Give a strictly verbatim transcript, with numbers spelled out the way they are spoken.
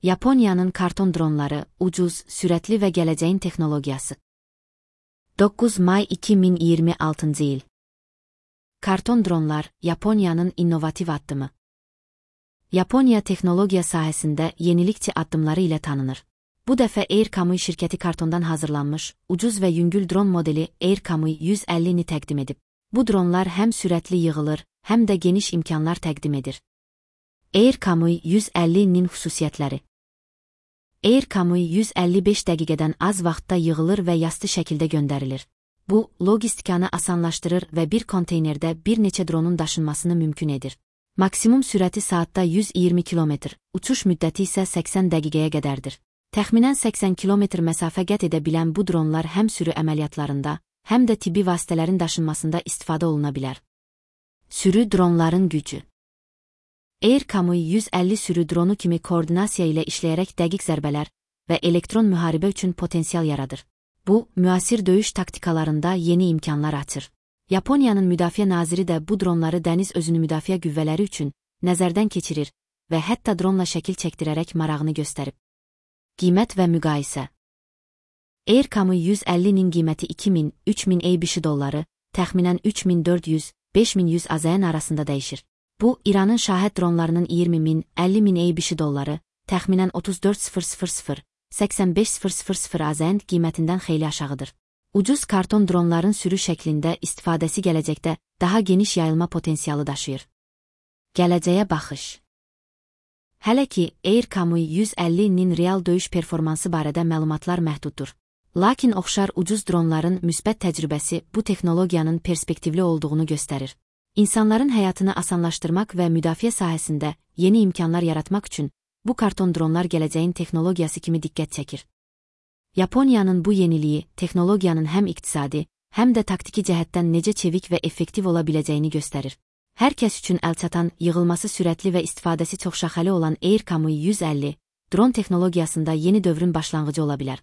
Yaponiyanın karton dronları, ucuz, sürətli və gələcəyin texnologiyası. doqquz may iki min iyirmi altıncı il. Karton dronlar, Yaponiyanın innovativ addımı. Yaponiya texnologiya sahəsində yenilikçi addımları ilə tanınır. Bu dəfə Air Kamui şirkəti kartondan hazırlanmış, ucuz və yüngül dron modeli Air Kamui yüz əlli-ni təqdim edib. Bu dronlar həm sürətli yığılır, həm də geniş imkanlar təqdim edir. Air Kamui yüz əlli-nin xüsusiyyətləri. Air Kamui yüz əlli beş dəqiqədən az vaxtda yığılır və yastı şəkildə göndərilir. Bu, logistikanı asanlaşdırır və bir konteynerdə bir neçə dronun daşınmasını mümkün edir. Maksimum sürəti saatda yüz iyirmi kilometr, uçuş müddəti isə səksən dəqiqəyə qədərdir. Təxminən səksən kilometr məsafə qət edə bilən bu dronlar həm sürü əməliyyatlarında, həm də tibbi vasitələrin daşınmasında istifadə oluna bilər. Sürü dronların gücü. Air Kamui yüz əlli sürü dronu kimi koordinasiya ilə işləyərək dəqiq zərbələr və elektron müharibə üçün potensial yaradır. Bu, müasir döyüş taktikalarında yeni imkanlar açır. Yaponiyanın müdafiə naziri də bu dronları dəniz özünü müdafiə qüvvələri üçün nəzərdən keçirir və hətta dronla şəkil çəkdirərək marağını göstərib. Qiymət və müqayisə. Air Kamui yüz əlli-nin qiyməti iki min - üç min ABŞ dolları, təxminən üç min dörd yüz - beş min yüz AZN arasında dəyişir. Bu, İranın şahid dronlarının iyirmi min - əlli min ABŞ dolları, təxminən otuz dörd min - səksən beş min AZN qiymətindən xeyli aşağıdır. Ucuz karton dronların sürü şəklində istifadəsi gələcəkdə daha geniş yayılma potensialı daşıyır. Gələcəyə baxış. Hələ ki, Air Kamui yüz əlli-nin real döyüş performansı barədə məlumatlar məhduddur. Lakin oxşar ucuz dronların müsbət təcrübəsi bu texnologiyanın perspektivli olduğunu göstərir. İnsanların həyatını asanlaşdırmaq və müdafiə sahəsində yeni imkanlar yaratmaq üçün bu karton dronlar gələcəyin texnologiyası kimi diqqət çəkir. Yaponiyanın bu yeniliyi, texnologiyanın həm iqtisadi, həm də taktiki cəhətdən necə çevik və effektiv ola biləcəyini göstərir. Hər kəs üçün əlçatan, yığılması sürətli və istifadəsi çoxşaxəli olan Air Kamui yüz əlli, dron texnologiyasında yeni dövrün başlanğıcı ola bilər.